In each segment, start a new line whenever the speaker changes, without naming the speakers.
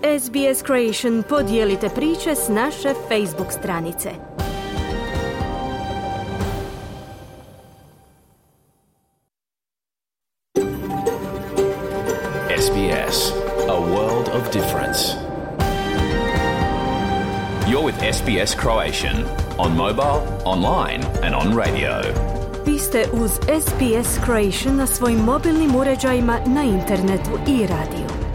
SBS Creation podijelite priče s naše Facebook stranice.
SBS, a world of difference. You're with SBS Croatian on mobile, online and on radio.
Vi ste uz SBS Croatian na svojim mobilnim uređajima, na internetu i radiju.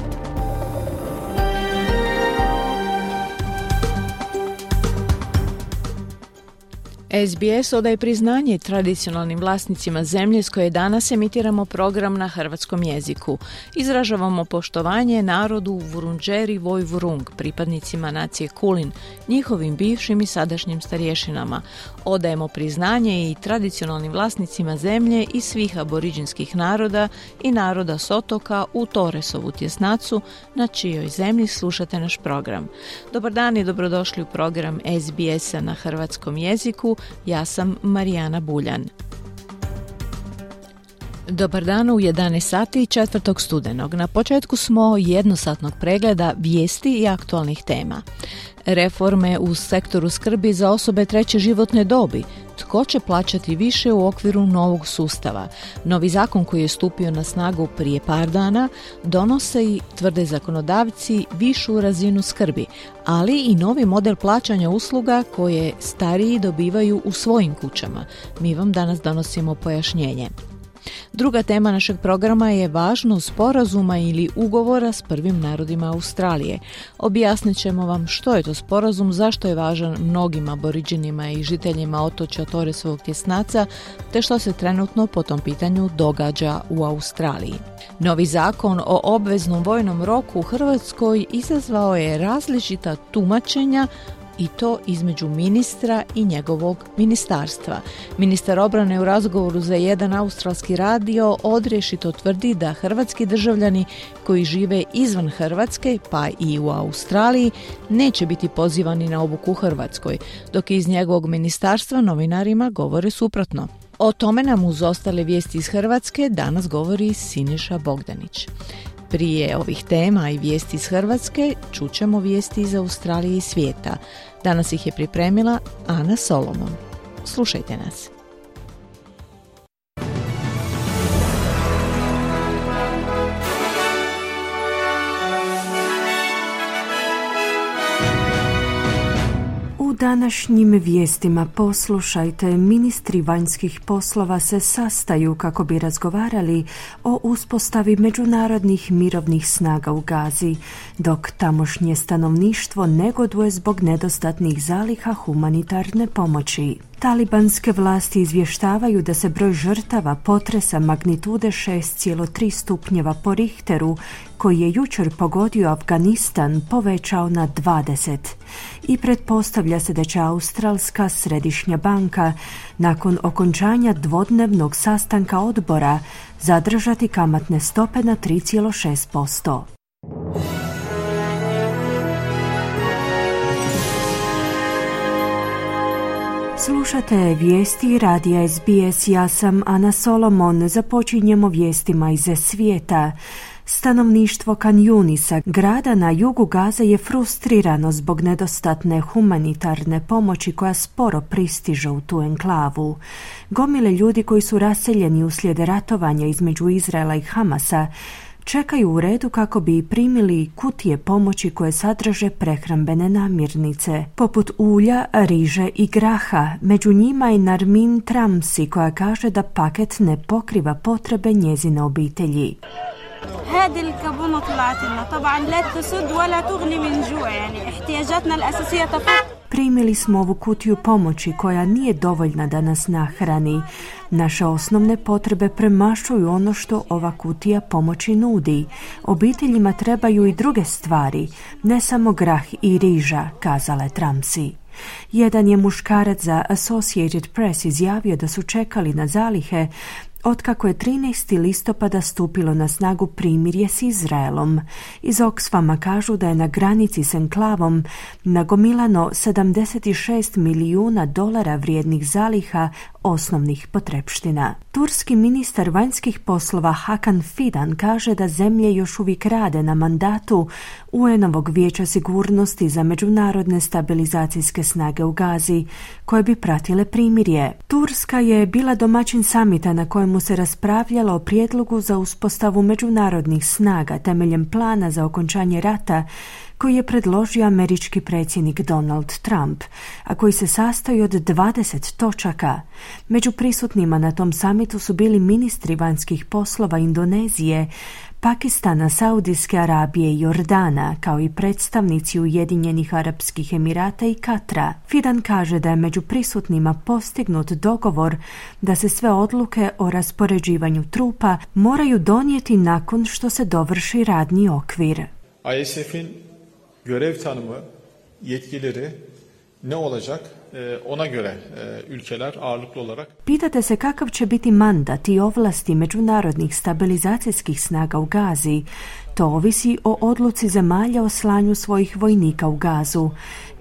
SBS odaje priznanje tradicionalnim vlasnicima zemlje s koje danas emitiramo program na hrvatskom jeziku. Izražavamo poštovanje narodu Vurundjeri Woi-wurrung, pripadnicima nacije Kulin, njihovim bivšim i sadašnjim starješinama. Odajemo priznanje i tradicionalnim vlasnicima zemlje i svih aboriđinskih naroda i naroda s otoka u Torresovu tjesnacu, na čijoj zemlji slušate naš program. Dobar dan i dobrodošli u program SBS-a na hrvatskom jeziku. Ja sam Marijana Buljan. Dobar dan u 11 sati 4. studenog. Na početku smo jednosatnog pregleda vijesti i aktualnih tema. Reforme u sektoru skrbi za osobe treće životne dobi. Tko će plaćati više u okviru novog sustava? Novi zakon koji je stupio na snagu prije par dana donose i, tvrde zakonodavci, višu razinu skrbi, ali i novi model plaćanja usluga koje stariji dobivaju u svojim kućama. Mi vam danas donosimo pojašnjenje. Druga tema našeg programa je važnost sporazuma ili ugovora s prvim narodima Australije. Objasnit ćemo vam što je to sporazum, zašto je važan mnogim aboriđinima i žiteljima otočja Torresovog tjesnaca, te što se trenutno po tom pitanju događa u Australiji. Novi zakon o obveznom vojnom roku u Hrvatskoj izazvao je različita tumačenja, i to između ministra i njegovog ministarstva. Ministar obrane u razgovoru za jedan australski radio odrješito tvrdi da hrvatski državljani koji žive izvan Hrvatske, pa i u Australiji, neće biti pozivani na obuku u Hrvatskoj, dok iz njegovog ministarstva novinarima govore suprotno. O tome nam uz ostale vijesti iz Hrvatske danas govori Siniša Bogdanić. Prije ovih tema i vijesti iz Hrvatske čućemo vijesti iz Australije i svijeta. Danas ih je pripremila Ana Solomon. Slušajte nas.
U današnjim vijestima poslušajte, ministri vanjskih poslova se sastaju kako bi razgovarali o uspostavi međunarodnih mirovnih snaga u Gazi, dok tamošnje stanovništvo negoduje zbog nedostatnih zaliha humanitarne pomoći. Talibanske vlasti izvještavaju da se broj žrtava potresa magnitude 6,3 stupnjeva po Richteru, koji je jučer pogodio Afganistan, povećao na 20. I pretpostavlja se da će Australska središnja banka nakon okončanja dvodnevnog sastanka odbora zadržati kamatne stope na 3,6%. Slušate vijesti radija SBS, ja sam Ana Solomon. Započinjemo vijestima iz svijeta. Stanovništvo Khan Yunisa, grada na jugu Gaze, je frustrirano zbog nedostatne humanitarne pomoći koja sporo pristiže u tu enklavu. Gomile ljudi koji su raseljeni uslijed ratovanja između Izraela i Hamasa čekaju u redu kako bi primili kutije pomoći koje sadrže prehrambene namirnice, poput ulja, riže i graha. Među njima je Narmin Tramsi, koja kaže da paket ne pokriva potrebe njezine obitelji.
هذه الكابونة طلعت لنا طبعا لا تسد ولا تغني من جوع يعني احتياجاتنا الأساسية تفوق.
Primili smo ovu kutiju pomoći koja nije dovoljna da nas nahrani. Naše osnovne potrebe premašuju ono što ova kutija pomoći nudi. Obiteljima trebaju i druge stvari, ne samo grah i riža, kazala je Tramsi. Jedan je muškarac za Associated Press izjavio da su čekali na zalihe otkako je 13. listopada stupilo na snagu primirje s Izraelom. Iz Oxfama kažu da je na granici s enklavom nagomilano $76 milijuna vrijednih zaliha osnovnih potrepština. Turski ministar vanjskih poslova Hakan Fidan kaže da zemlje još uvijek rade na mandatu UN-ovog Vijeća sigurnosti za međunarodne stabilizacijske snage u Gazi, koje bi pratile primirje. Turska je bila domaćin samita na kojemu se raspravljalo o prijedlogu za uspostavu međunarodnih snaga temeljem plana za okončanje rata koji je predložio američki predsjednik Donald Trump, a koji se sastoji od 20 točaka. Među prisutnima na tom samitu su bili ministri vanjskih poslova Indonezije, Pakistana, Saudijske Arabije i Jordana, kao i predstavnici Ujedinjenih Arapskih Emirata i Katra. Fidan kaže da je među prisutnima postignut dogovor da se sve odluke o raspoređivanju trupa moraju donijeti nakon što se dovrši radni okvir.
ISF'in görev tanımı, yetkileri ne olacak? Ona göre ülkeler ağırlıklı olarak.
Pitate se kakav će biti mandat i ovlasti međunarodnih stabilizacijskih snaga u Gazi. To ovisi o odluci zemalja o slanju svojih vojnika u Gazu.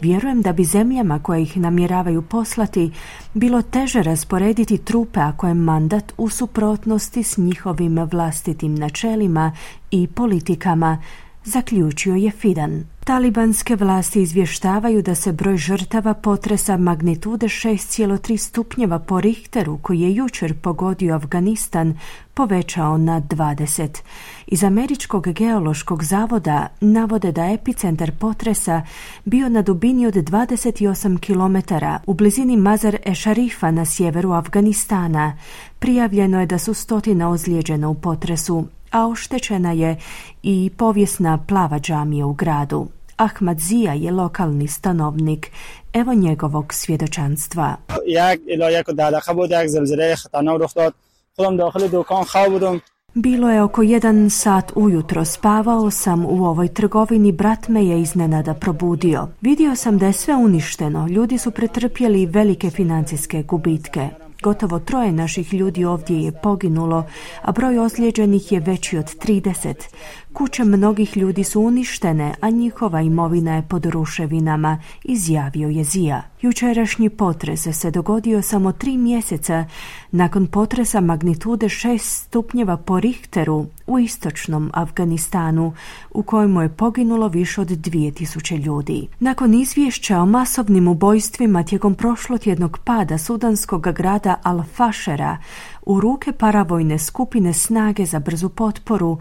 Vjerujem da bi zemljama koje ih namjeravaju poslati bilo teže rasporediti trupe ako je mandat u suprotnosti s njihovim vlastitim načelima i politikama, zaključio je Fidan. Talibanske vlasti izvještavaju da se broj žrtava potresa magnitude 6,3 stupnjeva po Richteru, koji je jučer pogodio Afganistan, povećao na 20. Iz Američkog geološkog zavoda navode da epicentar potresa bio na dubini od 28 km u blizini Mazar-e-Sharifa na sjeveru Afganistana. Prijavljeno je da su 100 ozlijeđena u potresu, a oštećena je i povijesna plava džamija u gradu. Ahmad Zia je lokalni stanovnik. Evo njegovog svjedočanstva. Bilo je oko 1 sat ujutro, spavao sam u ovoj trgovini, brat me je iznenada probudio. Vidio sam da je sve uništeno, ljudi su pretrpjeli velike financijske gubitke. Gotovo 3 naših ljudi ovdje je poginulo, a broj ozlijeđenih je veći od 30. Kuće mnogih ljudi su uništene, a njihova imovina je pod ruševinama, izjavio je Zia. Jučerašnji potres se dogodio samo 3 mjeseca nakon potresa magnitude 6 stupnjeva po Richteru u istočnom Afganistanu, u kojemu je poginulo više od 2000 ljudi. Nakon izvješća o masovnim ubojstvima tijekom prošlotjednog pada sudanskog grada Al-Fashera u ruke paravojne skupine Snage za brzu potporu,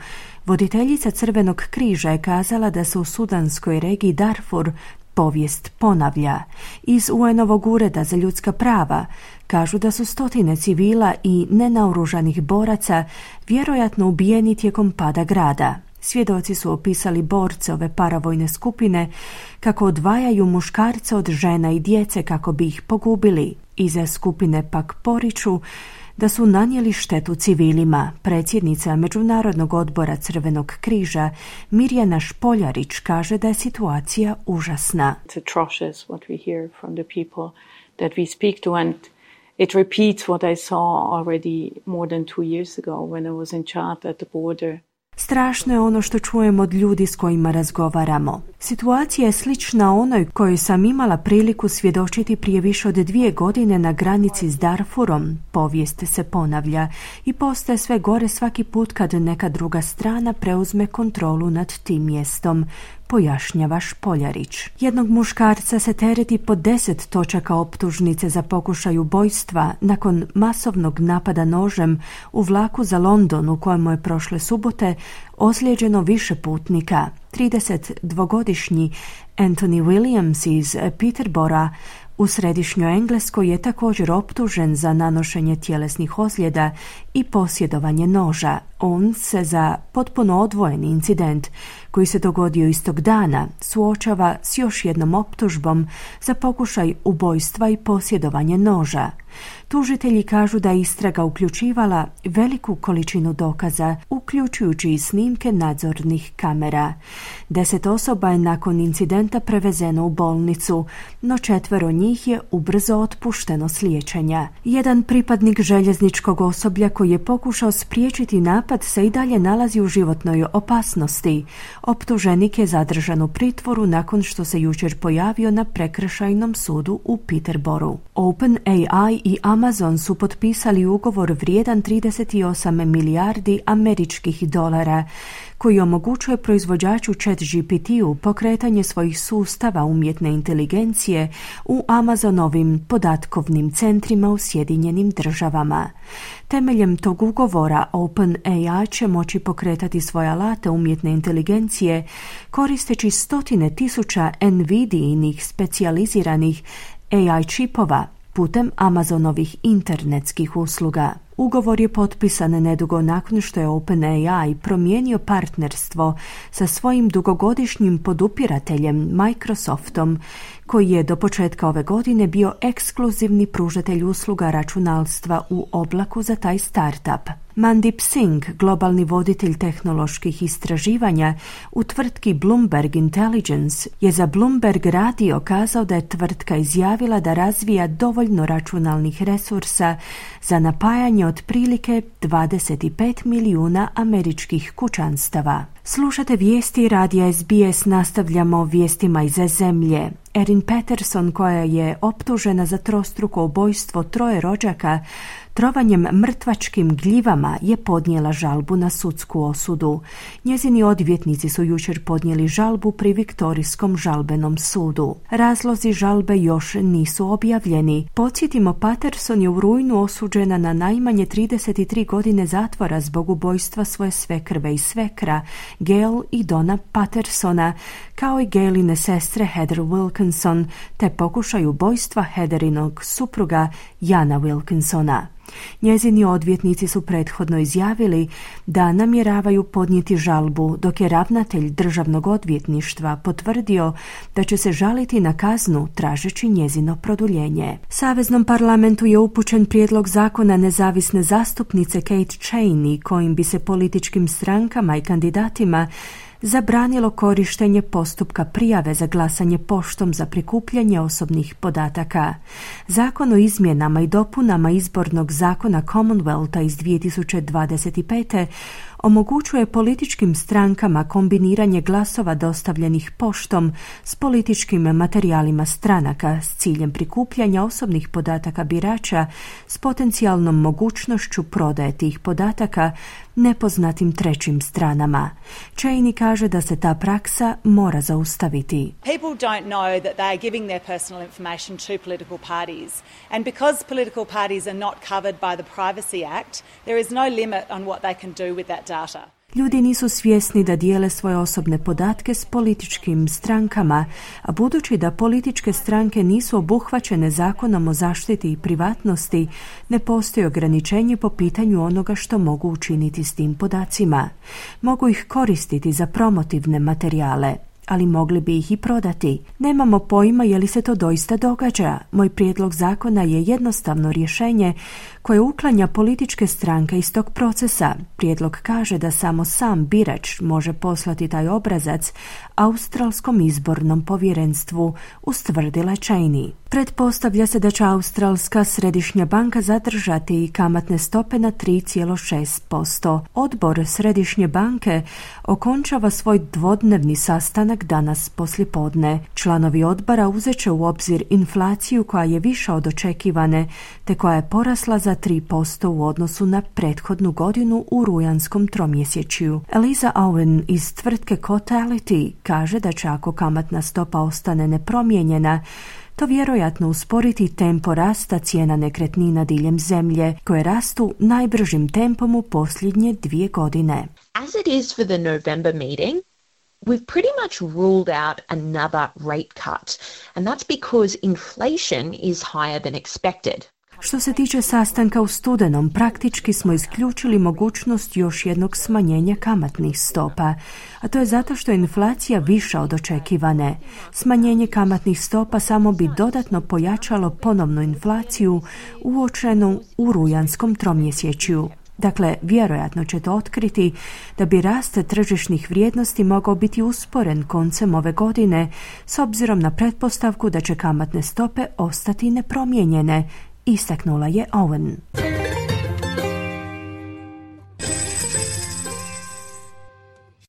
voditeljica Crvenog križa je kazala da se u sudanskoj regiji Darfur povijest ponavlja. Iz UN-ovog ureda za ljudska prava kažu da su 100 civila i nenaoružanih boraca vjerojatno ubijeni tijekom pada grada. Svjedoci su opisali borce ove paravojne skupine kako odvajaju muškarce od žena i djece kako bi ih pogubili. Iza skupine pak poriču da su nanijeli štetu civilima. Predsjednica Međunarodnog odbora Crvenog križa Mirjana Špoljarić kaže da je situacija užasna.
It's atrocious what we hear from the people that we speak to, and it repeats what I saw already more than 2 years ago when I was in Chad at the border.
Strašno je ono što čujem od ljudi s kojima razgovaramo. Situacija je slična onoj kojoj sam imala priliku svjedočiti prije više od 2 godine na granici s Darfurom. Povijest se ponavlja i postaje sve gore svaki put kad neka druga strana preuzme kontrolu nad tim mjestom, pojašnjava Špoljarić. Jednog muškarca se tereti po 10 točaka optužnice za pokušaj ubojstva nakon masovnog napada nožem u vlaku za London u kojemu je prošle subote ozlijeđeno više putnika. 32-godišnji Anthony Williams iz Peterbora u središnjoj Engleskoj je također optužen za nanošenje tjelesnih ozljeda i posjedovanje noža. On se za potpuno odvojeni incident koji se dogodio istog dana, suočava s još jednom optužbom za pokušaj ubojstva i posjedovanje noža. Tužitelji kažu da je istraga uključivala veliku količinu dokaza, uključujući i snimke nadzornih kamera. 10 osoba je nakon incidenta prevezeno u bolnicu, no 4 njih je ubrzo otpušteno s liječenja. Jedan pripadnik željezničkog osoblja koji je pokušao spriječiti napad se i dalje nalazi u životnoj opasnosti. Optuženik je zadržan u pritvoru nakon što se jučer pojavio na prekršajnom sudu u Peterboru. OpenAI i Amazon su potpisali ugovor vrijedan 38 milijardi američkih dolara koji omogućuje proizvođaču ChatGPT-u pokretanje svojih sustava umjetne inteligencije u Amazonovim podatkovnim centrima u Sjedinjenim državama. Temeljem tog ugovora OpenAI će moći pokretati svoje alate umjetne inteligencije koristeći stotine tisuća NVIDIA-inih specijaliziranih AI čipova putem Amazonovih internetskih usluga. Ugovor je potpisan nedugo nakon što je OpenAI promijenio partnerstvo sa svojim dugogodišnjim podupirateljem Microsoftom, koji je do početka ove godine bio ekskluzivni pružatelj usluga računalstva u oblaku za taj startup. Mandip Singh, globalni voditelj tehnoloških istraživanja u tvrtki Bloomberg Intelligence, je za Bloomberg radio kazao da je tvrtka izjavila da razvija dovoljno računalnih resursa za napajanje otprilike 25 milijuna američkih kućanstava. Slušate vijesti radija SBS, nastavljamo vijestima iz zemlje. Erin Patterson, koja je optužena za trostruko ubojstvo 3 rođaka trovanjem mrtvačkim gljivama, je podnijela žalbu na sudsku osudu. Njezini odvjetnici su jučer podnijeli žalbu pri Viktorijskom žalbenom sudu. Razlozi žalbe još nisu objavljeni. Podsjetimo, Patterson je u rujnu osuđena na najmanje 33 godine zatvora zbog ubojstva svoje svekrve i svekra, Gail i Donna Pattersona, kao i Gailine sestre Heather Wilkinson, te pokušaj ubojstva Heatherinog supruga Jana Wilkinsona. Njezini odvjetnici su prethodno izjavili da namjeravaju podnijeti žalbu, dok je ravnatelj državnog odvjetništva potvrdio da će se žaliti na kaznu tražeći njezino produljenje. Saveznom parlamentu je upućen prijedlog zakona nezavisne zastupnice Kate Cheney, kojim bi se političkim strankama i kandidatima zabranilo korištenje postupka prijave za glasanje poštom za prikupljanje osobnih podataka. Zakon o izmjenama i dopunama izbornog zakona Commonwealtha iz 2025. omogućuje političkim strankama kombiniranje glasova dostavljenih poštom s političkim materijalima stranaka s ciljem prikupljanja osobnih podataka birača s potencijalnom mogućnošću prodaje tih podataka nepoznatim trećim stranama. Cheney kaže da se ta praksa mora zaustaviti.
People don't know that they are giving their personal information to political parties, and because political parties are not covered by the Privacy Act, there is no limit on what they can do with that data.
Ljudi nisu svjesni da dijele svoje osobne podatke s političkim strankama, a budući da političke stranke nisu obuhvaćene zakonom o zaštiti i privatnosti, ne postoji ograničenje po pitanju onoga što mogu učiniti s tim podacima. Mogu ih koristiti za promotivne materijale, ali mogli bi ih i prodati. Nemamo pojma je li se to doista događa. Moj prijedlog zakona je jednostavno rješenje koje uklanja političke stranke iz tog procesa. Prijedlog kaže da samo sam birač može poslati taj obrazac Australskom izbornom povjerenstvu, ustvrdila Cheney. Pretpostavlja se da će Australska središnja banka zadržati kamatne stope na 3,6%. Odbor Središnje banke okončava svoj dvodnevni sastanak danas poslijepodne. Članovi odbora uzet će u obzir inflaciju koja je viša od očekivane, te koja je porasla za 3% u odnosu na prethodnu godinu u rujanskom tromjesečju. Eliza Owen iz tvrtke Cotality kaže da će ako kamatna stopa ostane nepromijenjena, to vjerojatno usporiti tempo rasta cijena nekretnina diljem zemlje, koje rastu najbržim tempom u posljednje 2 godine.
As it is for the November meeting, we've pretty much ruled out another rate cut, and that's because inflation is higher than expected.
Što se tiče sastanka u studenom, praktički smo isključili mogućnost još jednog smanjenja kamatnih stopa, a to je zato što je inflacija viša od očekivane. Smanjenje kamatnih stopa samo bi dodatno pojačalo ponovnu inflaciju uočenu u rujanskom tromjesečju. Dakle, vjerojatno ćete otkriti da bi rast tržišnih vrijednosti mogao biti usporen koncem ove godine s obzirom na pretpostavku da će kamatne stope ostati nepromijenjene, istaknula je Owen.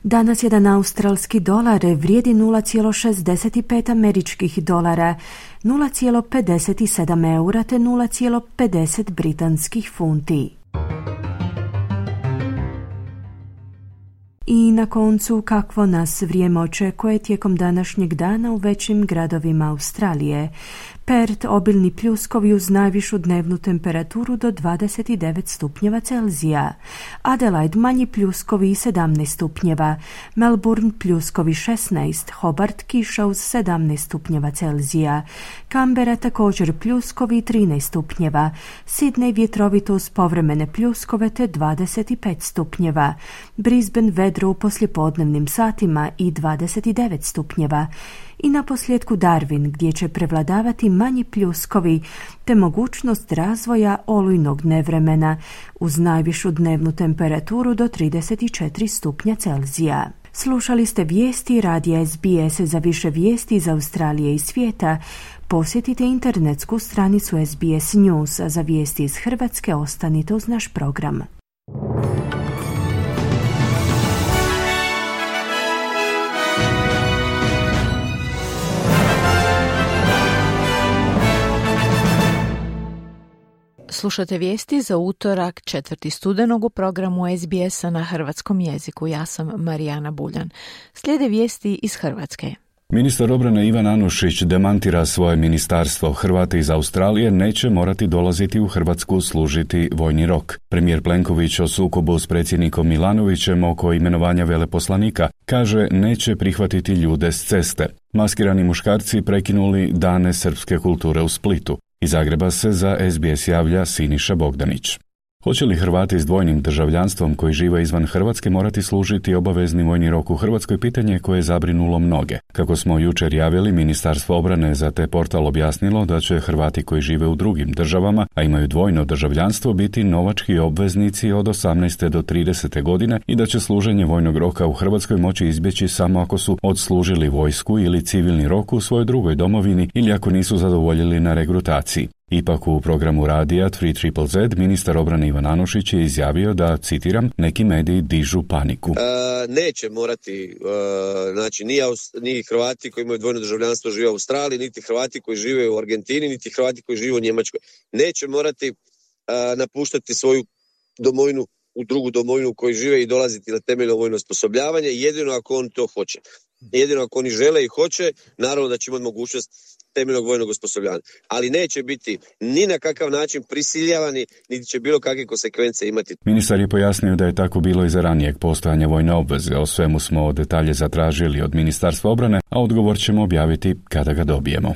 Danas jedan australski dolar vrijedi 0,65 američkih dolara, 0,57 eura te 0,50 britanskih funti. I na koncu, kakvo nas vrijeme očekuje tijekom današnjeg dana u većim gradovima Australije. Perth obilni pljuskovi uz najvišu dnevnu temperaturu do 29 stupnjeva Celzija. Adelaide manji pljuskovi 17 stupnjeva. Melbourne pljuskovi 16. Hobart kiša uz 17 stupnjeva Celzija. Canberra također pljuskovi 13 stupnjeva. Sydney vjetrovito uz povremene pljuskove te 25 stupnjeva. Brisbane vedro u poslijepodnevnim satima i 29 stupnjeva. I na posljedku Darwin, gdje će prevladavati manji pljuskovi te mogućnost razvoja olujnog nevremena uz najvišu dnevnu temperaturu do 34 stupnja Celzija. Slušali ste vijesti radija SBS. Za više vijesti iz Australije i svijeta posjetite internetsku stranicu SBS News, a za vijesti iz Hrvatske ostanite uz naš program.
Slušate vijesti za utorak 4. studenog u programu SBS-a na hrvatskom jeziku. Ja sam Marijana Buljan. Slijede vijesti iz Hrvatske.
Ministar obrane Ivan Anušić demantira svoje ministarstvo. Hrvati iz Australije neće morati dolaziti u Hrvatsku služiti vojni rok. Premijer Plenković o sukobu s predsjednikom Milanovićem oko imenovanja veleposlanika kaže neće prihvatiti ljude s ceste. Maskirani muškarci prekinuli dane srpske kulture u Splitu. Iz Zagreba se za SBS javlja Siniša Bogdanić. Hoće li Hrvati s dvojnim državljanstvom koji žive izvan Hrvatske morati služiti obavezni vojni rok u Hrvatskoj, pitanje koje je zabrinulo mnoge. Kako smo jučer javili, Ministarstvo obrane za te portal objasnilo da će Hrvati koji žive u drugim državama, a imaju dvojno državljanstvo, biti novački obveznici od 18. do 30. godine i da će služenje vojnog roka u Hrvatskoj moći izbjeći samo ako su odslužili vojsku ili civilni rok u svojoj drugoj domovini ili ako nisu zadovoljili na regrutaciji. Ipak u programu radija 3ZZZ ministar obrane Ivan Anušić je izjavio da, citiram, neki mediji dižu paniku.
Neće morati, znači ni Hrvati koji imaju dvojno državljanstvo žive u Australiji, niti Hrvati koji žive u Argentini, niti Hrvati koji žive u Njemačkoj. Neće morati napuštati svoju domovinu u drugu domovinu u kojoj žive i dolaziti na temeljno vojno osposobljavanje, jedino ako on to hoće. Jedino ako oni žele i hoće, naravno da će imati mogućnost temeljnog vojnog osposobljavanja. Ali neće biti ni na kakav način prisiljavani, niti će bilo kakve konsekvence imati.
Ministar je pojasnio da je tako bilo i za ranijeg postojanja vojne obveze. O svemu smo detalje zatražili od Ministarstva obrane, a odgovor ćemo objaviti kada ga dobijemo.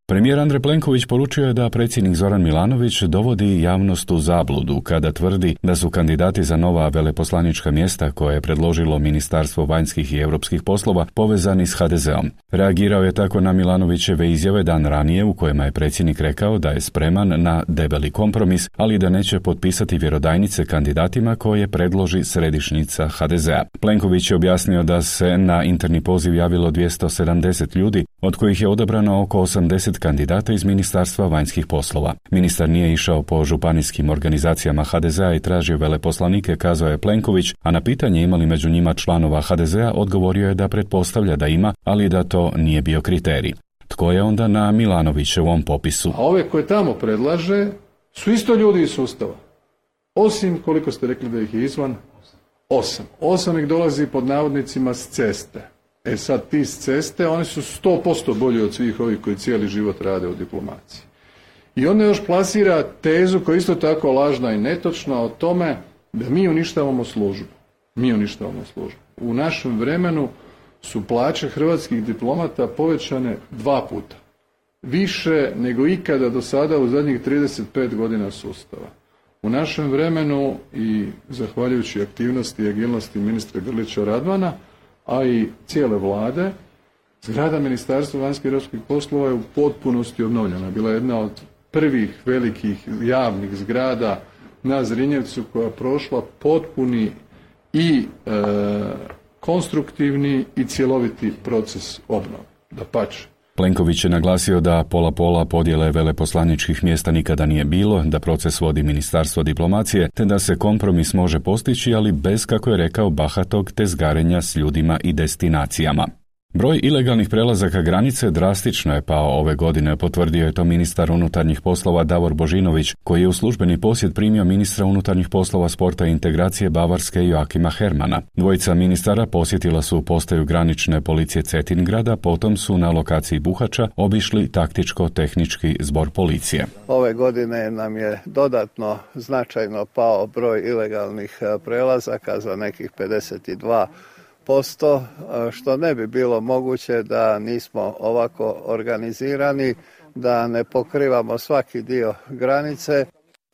Premijer Andrej Plenković poručio je da predsjednik Zoran Milanović dovodi javnost u zabludu kada tvrdi da su kandidati za nova veleposlanička mjesta koje je predložilo Ministarstvo vanjskih i europskih poslova povezani s HDZ-om. Reagirao je tako na Milanovićeve izjave dan ranije u kojima je predsjednik rekao da je spreman na debeli kompromis, ali da neće potpisati vjerodajnice kandidatima koje predloži središnjica HDZ-a. Plenković je objasnio da se na interni poziv javilo 270 ljudi, od kojih je odabrano oko 80 kandidata iz Ministarstva vanjskih poslova. Ministar nije išao po županijskim organizacijama HDZ-a i tražio veleposlanike, kazao je Plenković, a na pitanje ima li među njima članova HDZ-a odgovorio je da pretpostavlja da ima, ali da to nije bio kriterij. Tko je onda na Milanovićevom popisu?
A ove koje tamo predlaže su isto ljudi iz sustava. Osim, koliko ste rekli da ih je izvan? 8. 8 ih dolazi pod navodnicima s ceste. Sad ti s ceste, oni su 100% bolji od svih ovih koji cijeli život rade u diplomaciji. I onda još plasira tezu koja je isto tako lažna i netočna o tome da mi uništavamo službu. Mi uništavamo službu. U našem vremenu su plaće hrvatskih diplomata povećane 2 puta. više nego ikada do sada u zadnjih 35 godina sustava. U našem vremenu i zahvaljujući aktivnosti i agilnosti ministra Grlića Radmana, a i cijele vlade, zgrada Ministarstva vanjskih i europskih poslova je u potpunosti obnovljena. Bila je jedna od prvih velikih javnih zgrada na Zrinjevcu koja je prošla potpuni i konstruktivni i cjeloviti proces obnove. Dapače.
Plenković je naglasio da pola podjele veleposlaničkih mjesta nikada nije bilo, da proces vodi Ministarstvo diplomacije, te da se kompromis može postići, ali bez, kako je rekao, bahatog tezgarenja s ljudima i destinacijama. Broj ilegalnih prelazaka granice drastično je pao ove godine, potvrdio je to ministar unutarnjih poslova Davor Božinović, koji je u službeni posjet primio ministra unutarnjih poslova, sporta i integracije Bavarske Joakima Hermana. Dvojica ministara posjetila su postaju granične policije Cetingrada, potom su na lokaciji Buhača obišli taktičko-tehnički zbor policije.
Ove godine nam je dodatno značajno pao broj ilegalnih prelazaka za nekih 52%, što ne bi bilo moguće da nismo ovako organizirani, da ne pokrivamo svaki dio granice.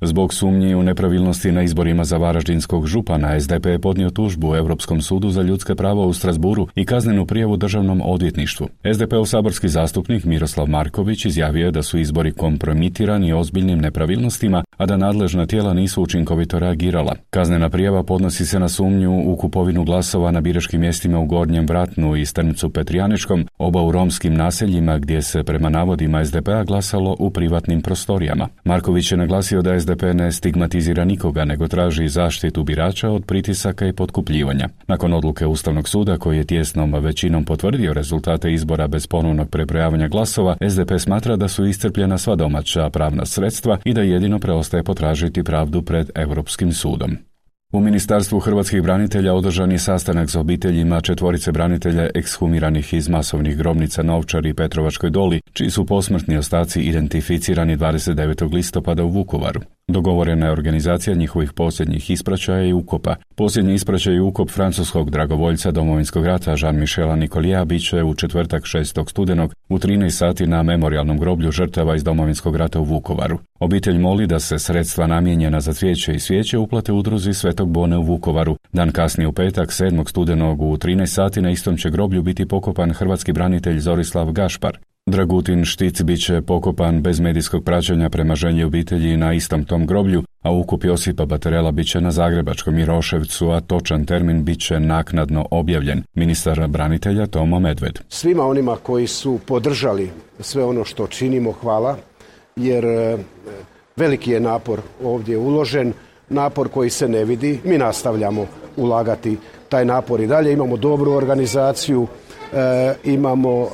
Zbog sumnji u nepravilnosti na izborima za varaždinskog župana, SDP je podnio tužbu u Europskom sudu za ljudska prava u Strasburu i kaznenu prijavu Državnom odvjetništvu. SDP-ov saborski zastupnik Miroslav Marković izjavio je da su izbori kompromitirani ozbiljnim nepravilnostima, a da nadležna tijela nisu učinkovito reagirala. Kaznena prijava podnosi se na sumnju u kupovinu glasova na biračkim mjestima u Gornjem Vratnu i Strmcu Petrijaničkom, oba u romskim naseljima gdje se prema navodima SDP-a glasalo u privatnim prostorijama. Marković je naglasio da SDP ne stigmatizira nikoga, nego traži zaštitu birača od pritisaka i potkupljivanja. Nakon odluke Ustavnog suda, koji je tijesnom većinom potvrdio rezultate izbora bez ponovnog prebrojavanja glasova, SDP smatra da su iscrpljena sva domaća pravna sredstva i da jedino preostaje potražiti pravdu pred Europskim sudom. U Ministarstvu hrvatskih branitelja održan je sastanak s obiteljima 4 branitelja ekshumiranih iz masovnih grobnica na Ovčari i Petrovačkoj Doli, čiji su posmrtni ostaci identificirani 29. listopada u Vukovaru. Dogovorena je organizacija njihovih posljednjih ispraćaja i ukopa. Posljednji ispraćaj i ukop francuskog dragovoljca Domovinskog rata Jean-Michela Nicolija bit će u četvrtak 6. studenog u 13 sati na memorijalnom groblju žrtava iz Domovinskog rata u Vukovaru. Obitelj moli da se sredstva namijenjena za cvijeće i svijeće uplate udruzi Svetog Bone u Vukovaru. Dan kasnije u petak 7. studenog u 13 sati na istom će groblju biti pokopan hrvatski branitelj Zorislav Gašpar. Dragutin Štic bit će pokopan bez medijskog praćenja prema želji obitelji na istom tom groblju, a ukop Josipa Baterela bit će na zagrebačkom Miroševcu, a točan termin bit će naknadno objavljen. Ministar branitelja Tomo Medved.
Svima onima koji su podržali sve ono što činimo, hvala, jer veliki je napor ovdje uložen, napor koji se ne vidi. Mi nastavljamo ulagati taj napor i dalje. Imamo dobru organizaciju, imamo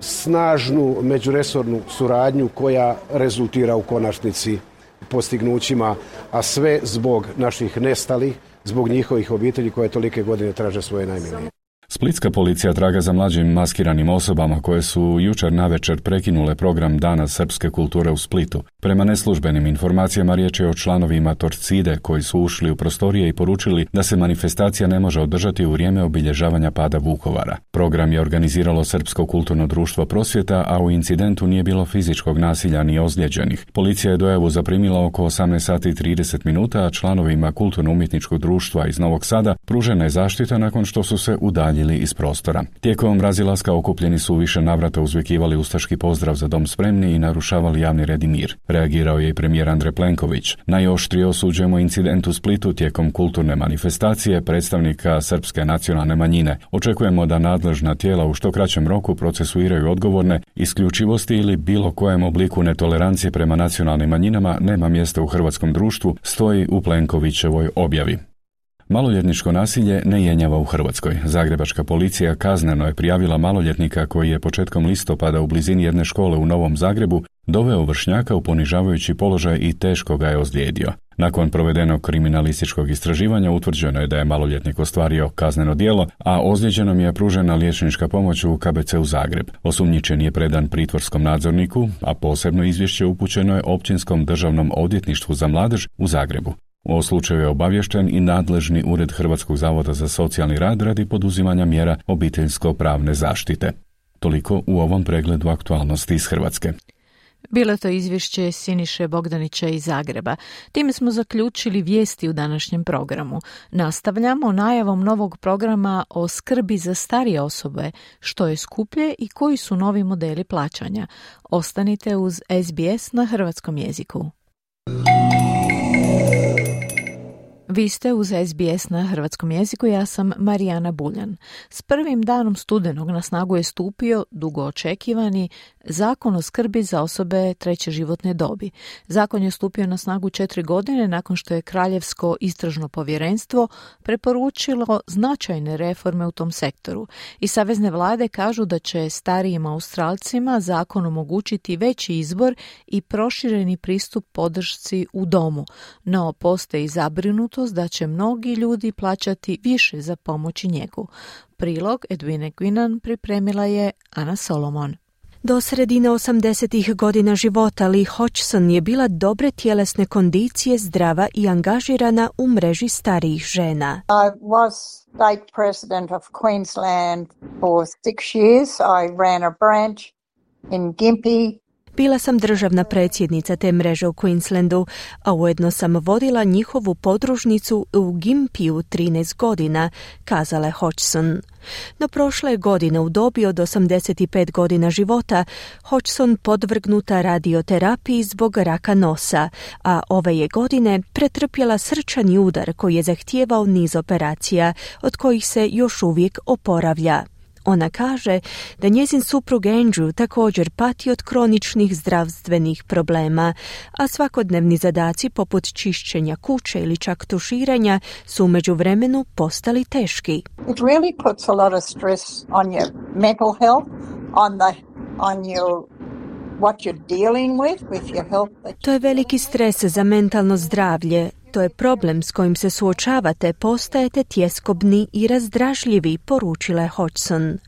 snažnu međuresornu suradnju koja rezultira u konačnici postignućima, a sve zbog naših nestalih, zbog njihovih obitelji koje tolike godine traže svoje najmilije.
Splitska policija traga za mlađim maskiranim osobama koje su jučer navečer prekinule program Dana srpske kulture u Splitu. Prema neslužbenim informacijama riječ je o članovima Torcide koji su ušli u prostorije i poručili da se manifestacija ne može održati u vrijeme obilježavanja pada Vukovara. Program je organiziralo Srpsko kulturno društvo Prosvjeta, a u incidentu nije bilo fizičkog nasilja ni ozlijeđenih. Policija je dojavu zaprimila oko 18 sati i 30 minuta, a članovima kulturno-umjetničkog društva iz Novog Sada pružena je zaštita nakon što su se udaljili iz prostora. Tijekom razilaska okupljeni su više navrata uzvikivali ustaški pozdrav za dom spremni i narušavali javni red i mir. Reagirao je i premijer Andrej Plenković. Najoštrije osuđujemo incident u Splitu tijekom kulturne manifestacije predstavnika srpske nacionalne manjine. Očekujemo da nadležna tijela u što kraćem roku procesuiraju odgovorne. Isključivosti ili bilo kojem obliku netolerancije prema nacionalnim manjinama nema mjesta u hrvatskom društvu, stoji u Plenkovićevoj objavi. Maloljetničko nasilje ne jenjava u Hrvatskoj. Zagrebačka policija kazneno je prijavila maloljetnika koji je početkom listopada u blizini jedne škole u Novom Zagrebu doveo vršnjaka u ponižavajući položaj i teško ga je ozlijedio. Nakon provedenog kriminalističkog istraživanja utvrđeno je da je maloljetnik ostvario kazneno djelo, a ozlijeđenom je pružena liječnička pomoć u KBC-u Zagreb. Osumnjičeni je predan pritvorskom nadzorniku, a posebno izvješće upućeno je Općinskom državnom odvjetništvu za mladež u Zagrebu. O slučaju je obavješten i nadležni ured Hrvatskog zavoda za socijalni rad radi poduzimanja mjera obiteljsko-pravne zaštite. Toliko u ovom pregledu aktualnosti iz Hrvatske.
Bilo je to izvješće Siniše Bogdanića iz Zagreba. Time smo zaključili vijesti u današnjem programu. Nastavljamo najavom novog programa o skrbi za starije osobe, što je skuplje i koji su novi modeli plaćanja. Ostanite uz SBS na hrvatskom jeziku. Vi ste uz SBS na hrvatskom jeziku, ja sam Marijana Buljan. S prvim danom studenog na snagu je stupio dugo očekivani Zakon o skrbi za osobe treće životne dobi. Zakon je stupio na snagu 4 godine nakon što je Kraljevsko istražno povjerenstvo preporučilo značajne reforme u tom sektoru. I savezne vlade kažu da će starijim Australcima zakon omogućiti veći izbor i prošireni pristup podršci u domu, no postoji zabrinutost da će mnogi ljudi plaćati više za pomoć i njegu. Prilog Edwine Quinan pripremila je Ana Solomon.
Do sredine 80. godina života Lee Hodgson je bila dobre tjelesne kondicije, zdrava i angažirana u mreži starijih žena.
I was state president of Queensland for 6 years. I ran a branch in Gympie.
Bila sam državna predsjednica te mreže u Queenslandu, a ujedno sam vodila njihovu podružnicu u Gympiju 13 godina, kazala je Hodgson. No prošle godine u dobi od 85 godina života Hodgson podvrgnuta radioterapiji zbog raka nosa, a ove je godine pretrpjela srčani udar koji je zahtijevao niz operacija, od kojih se još uvijek oporavlja. Ona kaže da njezin suprug Andrew također pati od kroničnih zdravstvenih problema, a svakodnevni zadaci poput čišćenja kuće ili čak tuširanja su u međuvremenu postali teški.
It really puts a lot of stress on your mental health, on your what you're dealing with your health.
To je veliki stres za mentalno zdravlje. To je problem s kojim se suočavate, postajete tjeskobni i razdražljivi, poručila je Hodgson.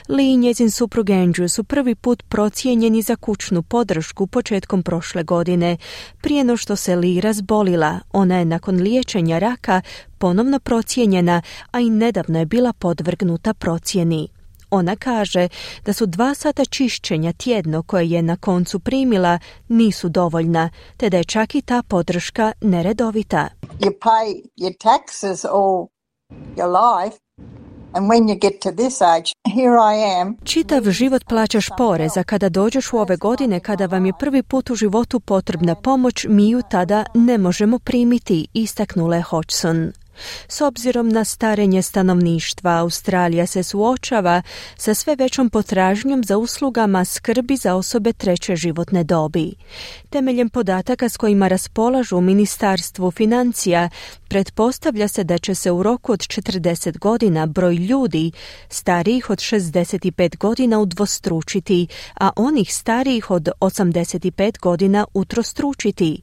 Lee i njezin suprug Andrew su prvi put procijenjeni za kućnu podršku početkom prošle godine. Prije no što se Lee razbolila, ona je nakon liječenja raka ponovno procijenjena, a i nedavno je bila podvrgnuta procjeni. Ona kaže da su 2 sata čišćenja tjedno koje je na koncu primila nisu dovoljna, te da je čak i ta podrška neredovita.
You pay your taxes all your life, and when you get to this age, here I am.
Čitav život plaćaš porez, a kada dođeš u ove godine, kada vam je prvi put u životu potrebna pomoć, mi ju tada ne možemo primiti, istaknula je Hodgson. S obzirom na starenje stanovništva, Australija se suočava sa sve većom potražnjom za uslugama skrbi za osobe treće životne dobi. Temeljem podataka s kojima raspolažu u Ministarstvu financija, pretpostavlja se da će se u roku od 40 godina broj ljudi starijih od 65 godina udvostručiti, a onih starijih od 85 godina utrostručiti.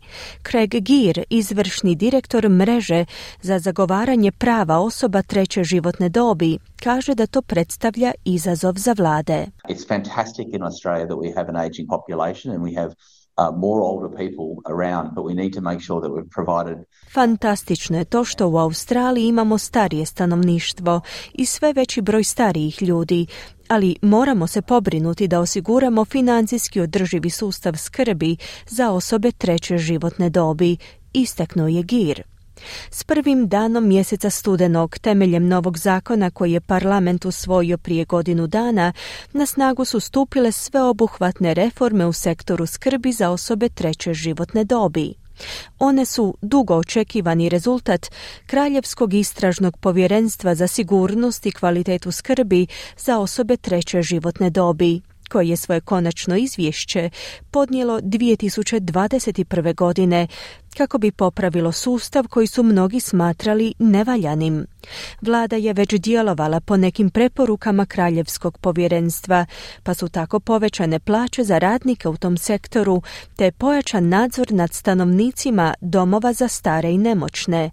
Craig Gear, izvršni direktor mreže za zagovaranje prava osoba treće životne dobi, kaže da to predstavlja izazov za vlade.
It's fantastic in Australia that we have an aging population and we have more older people around, but we need to make sure that we've provided.
Fantastično je to što u Australiji imamo starije stanovništvo i sve veći broj starijih ljudi, ali moramo se pobrinuti da osiguramo financijski održivi sustav skrbi za osobe treće životne dobi, istaknuo je Gear. S prvim danom mjeseca studenog, temeljem novog zakona koji je parlament usvojio prije godinu dana, na snagu su stupile sveobuhvatne reforme u sektoru skrbi za osobe treće životne dobi. One su dugo očekivani rezultat Kraljevskog istražnog povjerenstva za sigurnost i kvalitetu skrbi za osobe treće životne dobi, koje je svoje konačno izvješće podnijelo 2021. godine kako bi popravilo sustav koji su mnogi smatrali nevaljanim. Vlada je već djelovala po nekim preporukama Kraljevskog povjerenstva, pa su tako povećane plaće za radnike u tom sektoru, te pojačan nadzor nad stanovnicima domova za stare i nemoćne.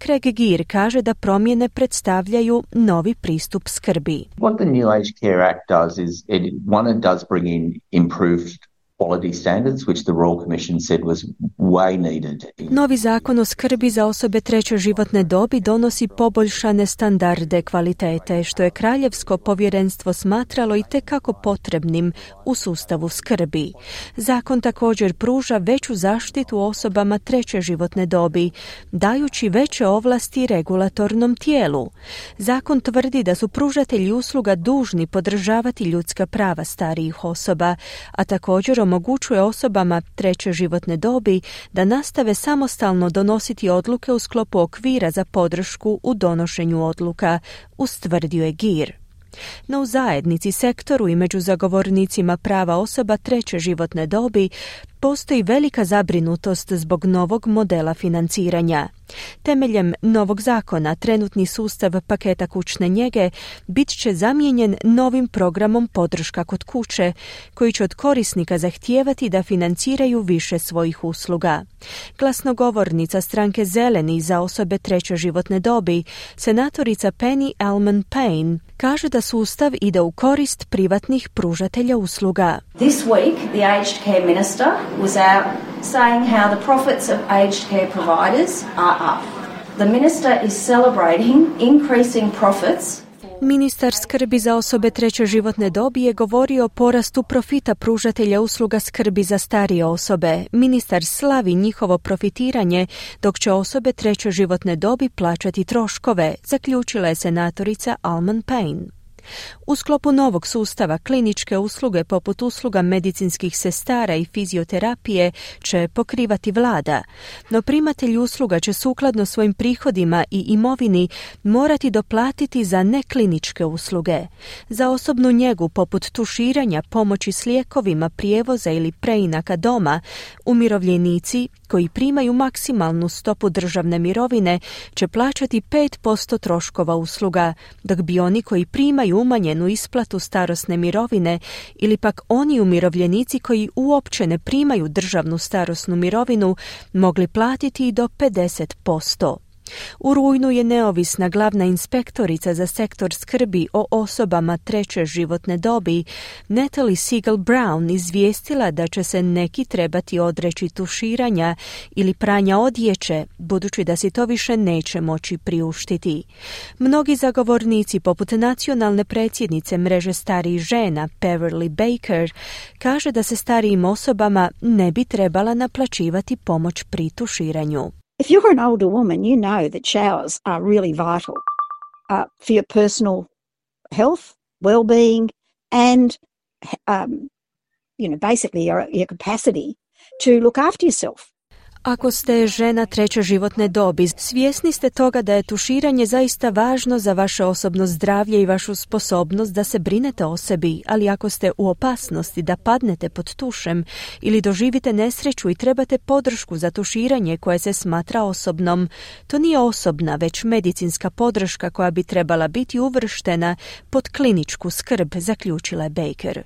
Craig Gear kaže da promjene predstavljaju novi pristup skrbi.
What the New Aged Care Act does is it does bring in improved quality standards, which the Royal Commission said was way needed.
Novi zakon o skrbi za osobe treće životne dobi donosi poboljšane standarde kvalitete, što je Kraljevsko povjerenstvo smatralo i tekako potrebnim u sustavu skrbi. Zakon također pruža veću zaštitu osobama treće životne dobi, dajući veće ovlasti regulatornom tijelu. Zakon tvrdi da su pružatelji usluga dužni podržavati ljudska prava starijih osoba, a također omogućuje osobama treće životne dobi da nastave samostalno donositi odluke u sklopu okvira za podršku u donošenju odluka, ustvrdio je GIR. No u zajednici, sektoru i među zagovornicima prava osoba treće životne dobi postoji velika zabrinutost zbog novog modela financiranja. Temeljem novog zakona, trenutni sustav paketa kućne njege bit će zamijenjen novim programom podrška kod kuće, koji će od korisnika zahtijevati da financiraju više svojih usluga. Glasnogovornica stranke Zeleni za osobe treće životne dobi, senatorica Penny Allman-Payne, kaže da sustav ide u korist privatnih pružatelja usluga.
This week, the aged care minister was out saying how the profits of aged care providers are up. The minister is celebrating increasing profits.
Ministar skrbi za osobe treće životne dobi je govorio o porastu profita pružatelja usluga skrbi za starije osobe. Ministar slavi njihovo profitiranje, dok će osobe treće životne dobi plaćati troškove, zaključila je senatorica Allman-Payne. U sklopu novog sustava kliničke usluge poput usluga medicinskih sestara i fizioterapije će pokrivati vlada, no primatelji usluga će sukladno svojim prihodima i imovini morati doplatiti za nekliničke usluge. Za osobnu njegu poput tuširanja, pomoći s lijekovima, prijevoza ili preinaka doma, umirovljenici koji primaju maksimalnu stopu državne mirovine će plaćati 5% troškova usluga, dok bi oni koji primaju umanjenu isplatu starosne mirovine ili pak oni umirovljenici koji uopće ne primaju državnu starosnu mirovinu mogli platiti i do 50%. U rujnu je neovisna glavna inspektorica za sektor skrbi o osobama treće životne dobi, Natalie Siegel-Brown, izvijestila da će se neki trebati odreći tuširanja ili pranja odjeće, budući da si to više neće moći priuštiti. Mnogi zagovornici, poput nacionalne predsjednice mreže starijih žena, Beverly Baker, kaže da se starijim osobama ne bi trebala naplaćivati pomoć pri tuširanju.
If you're an older woman, you know that showers are really vital for your personal health, well-being, and basically your capacity to look after yourself.
Ako ste žena treće životne dobi, svjesni ste toga da je tuširanje zaista važno za vaše osobno zdravlje i vašu sposobnost da se brinete o sebi, ali ako ste u opasnosti da padnete pod tušem ili doživite nesreću i trebate podršku za tuširanje koje se smatra osobnom, to nije osobna, već medicinska podrška koja bi trebala biti uvrštena pod kliničku skrb, zaključila je Baker.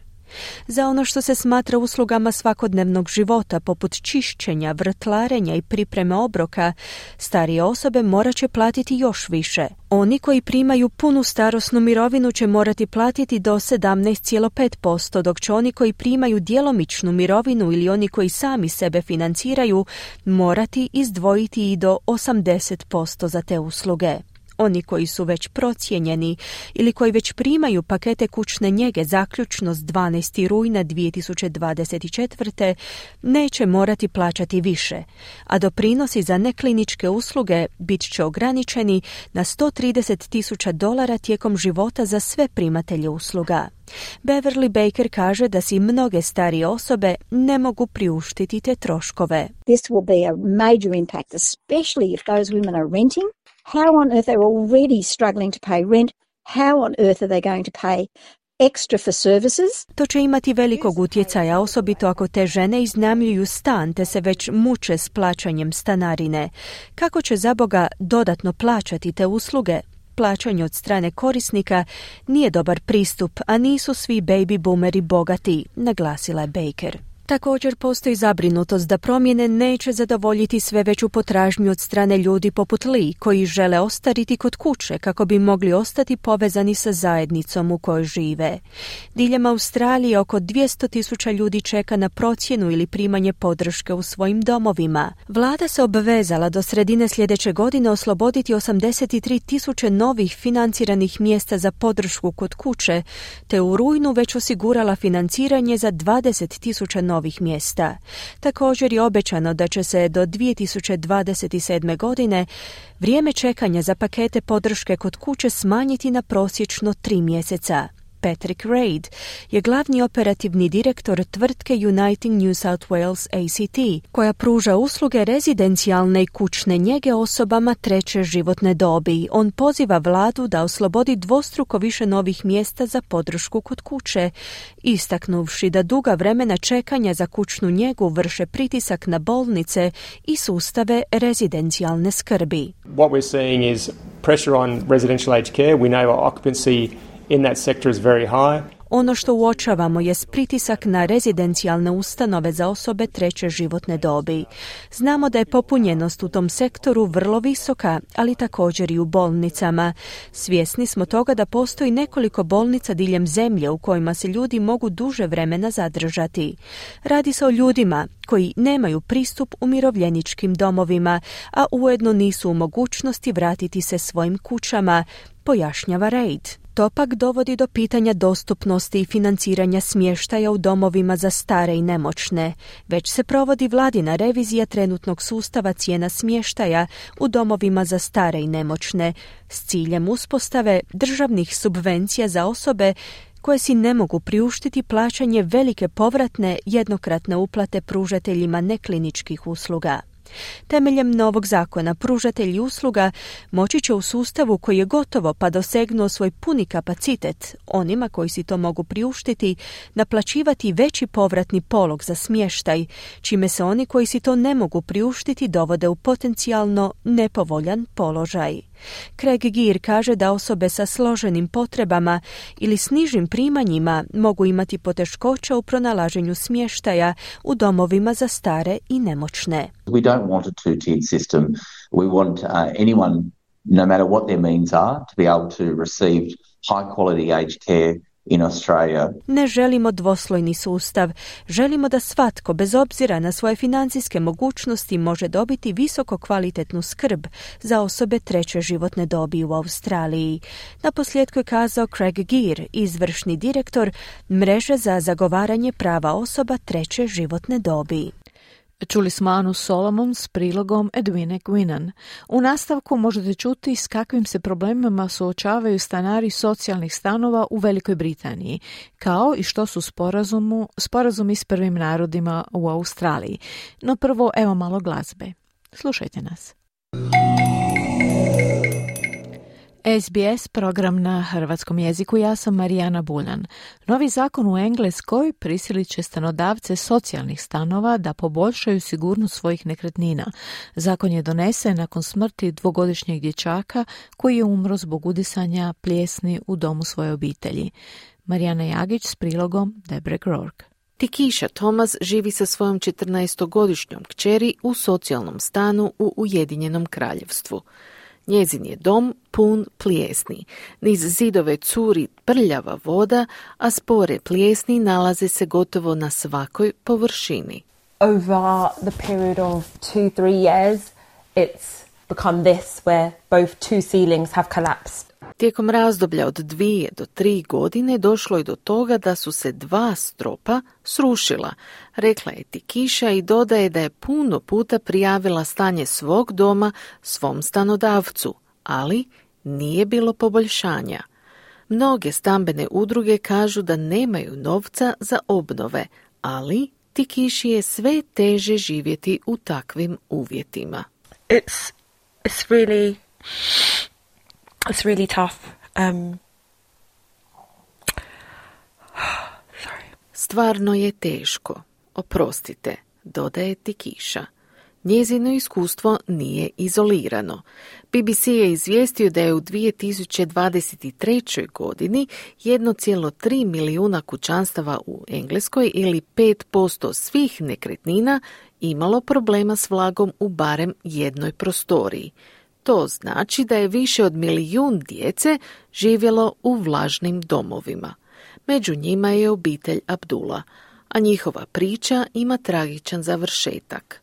Za ono što se smatra uslugama svakodnevnog života, poput čišćenja, vrtlarenja i pripreme obroka, starije osobe morat će platiti još više. Oni koji primaju punu starosnu mirovinu će morati platiti do 17,5%, dok će oni koji primaju djelomičnu mirovinu ili oni koji sami sebe financiraju morati izdvojiti i do 80% za te usluge. Oni koji su već procijenjeni ili koji već primaju pakete kućne njege zaključno s 12. rujna 2024. neće morati plaćati više, a doprinosi za nekliničke usluge bit će ograničeni na $130,000 tijekom života za sve primatelje usluga. Beverly Baker kaže da si mnoge starije osobe ne mogu priuštiti te troškove.
This will be a major impact, especially if those women are renting. How on earth they're already struggling to pay rent? How on earth are they going to pay extra for services?
To će imati velikog utjecaja, osobito ako te žene iznajmljuju stan te se već muče s plaćanjem stanarine. Kako će zaboga dodatno plaćati te usluge? Plaćanje od strane korisnika nije dobar pristup, a nisu svi baby boomeri bogati, naglasila je Baker. Također postoji zabrinutost da promjene neće zadovoljiti sve veću potražnju od strane ljudi poput Lee, koji žele ostariti kod kuće kako bi mogli ostati povezani sa zajednicom u kojoj žive. Diljem Australije oko 200,000 ljudi čeka na procjenu ili primanje podrške u svojim domovima. Vlada se obvezala do sredine sljedeće godine osloboditi 83,000 novih financiranih mjesta za podršku kod kuće, te u rujnu već osigurala financiranje za 20,000 novih mjesta. Također je obećano da će se do 2027. godine vrijeme čekanja za pakete podrške kod kuće smanjiti na prosječno 3 mjeseca. Patrick Reid je glavni operativni direktor tvrtke Uniting New South Wales ACT, koja pruža usluge rezidencijalne i kućne njege osobama treće životne dobi. On poziva vladu da oslobodi dvostruko više novih mjesta za podršku kod kuće, istaknuvši da duga vremena čekanja za kućnu njegu vrše pritisak na bolnice i sustave rezidencijalne skrbi.
What we're seeing is pressure on residential aged care. We know our occupancy in that sector is very high.
Ono što uočavamo je pritisak na rezidencijalne ustanove za osobe treće životne dobi. Znamo da je popunjenost u tom sektoru vrlo visoka, ali također i u bolnicama. Svjesni smo toga da postoji nekoliko bolnica diljem zemlje u kojima se ljudi mogu duže vremena zadržati. Radi se o ljudima koji nemaju pristup umirovljeničkim domovima, a ujedno nisu u mogućnosti vratiti se svojim kućama, pojašnjava Reid. To pak dovodi do pitanja dostupnosti i financiranja smještaja u domovima za stare i nemoćne. Već se provodi vladina revizija trenutnog sustava cijena smještaja u domovima za stare i nemoćne s ciljem uspostave državnih subvencija za osobe koje si ne mogu priuštiti plaćanje velike povratne jednokratne uplate pružateljima nekliničkih usluga. Temeljem novog zakona pružatelji usluga moći će u sustavu koji je gotovo pa dosegnuo svoj puni kapacitet, onima koji si to mogu priuštiti, naplaćivati veći povratni polog za smještaj, čime se oni koji si to ne mogu priuštiti dovode u potencijalno nepovoljan položaj. Craig Gear kaže da osobe sa složenim potrebama ili s nižim primanjima mogu imati poteškoća u pronalaženju smještaja u domovima za stare i nemoćne.
We don't want a two-tiered system. We want anyone, no matter what their means are, to be able to receive high-quality aged care in Australia.
Ne želimo dvoslojni sustav. Želimo da svatko, bez obzira na svoje financijske mogućnosti, može dobiti visoko kvalitetnu skrb za osobe treće životne dobi u Australiji. Naposljetku je kazao Craig Gear, izvršni direktor mreže za zagovaranje prava osoba treće životne dobi.
Čuli smo Anu Solomon s prilogom Edwine Guinan. U nastavku možete čuti s kakvim se problemima suočavaju stanari socijalnih stanova u Velikoj Britaniji, kao i što su sporazumi s prvim narodima u Australiji. No prvo, evo malo glazbe. Slušajte nas. SBS program na hrvatskom jeziku, ja sam Marijana Buljan. Novi zakon u Engleskoj prisilit će stanodavce socijalnih stanova da poboljšaju sigurnost svojih nekretnina. Zakon je donesen nakon smrti 2-godišnjeg dječaka koji je umro zbog udisanja plijesni u domu svoje obitelji. Marijana Jagić s prilogom Debre Grork.
Tikisha Thomas živi sa svojom 14-godišnjom kćeri u socijalnom stanu u Ujedinjenom Kraljevstvu. Njezin je dom pun plijesni. Niz zidove curi prljava voda, a spore plijesni nalaze se gotovo na svakoj površini.
Over the period of 2-3 years, it's become this where both two ceilings have collapsed.
Tijekom razdoblja od 2 do 3 godine došlo je do toga da su se 2 stropa srušila, rekla je Tikisha i dodaje da je puno puta prijavila stanje svog doma svom stanodavcu, ali nije bilo poboljšanja. Mnoge stambene udruge kažu da nemaju novca za obnove, ali Tikishi je sve teže živjeti u takvim uvjetima.
It's really tough.
Stvarno je teško. Oprostite, dodaje Tikisha. Njezino iskustvo nije izolirano. BBC je izvijestio da je u 2023. godini 1,3 milijuna kućanstava u Engleskoj ili 5% svih nekretnina imalo problema s vlagom u barem jednoj prostoriji. To znači da je više od 1 milijun djece živjelo u vlažnim domovima. Među njima je obitelj Abdullah, a njihova priča ima tragičan završetak.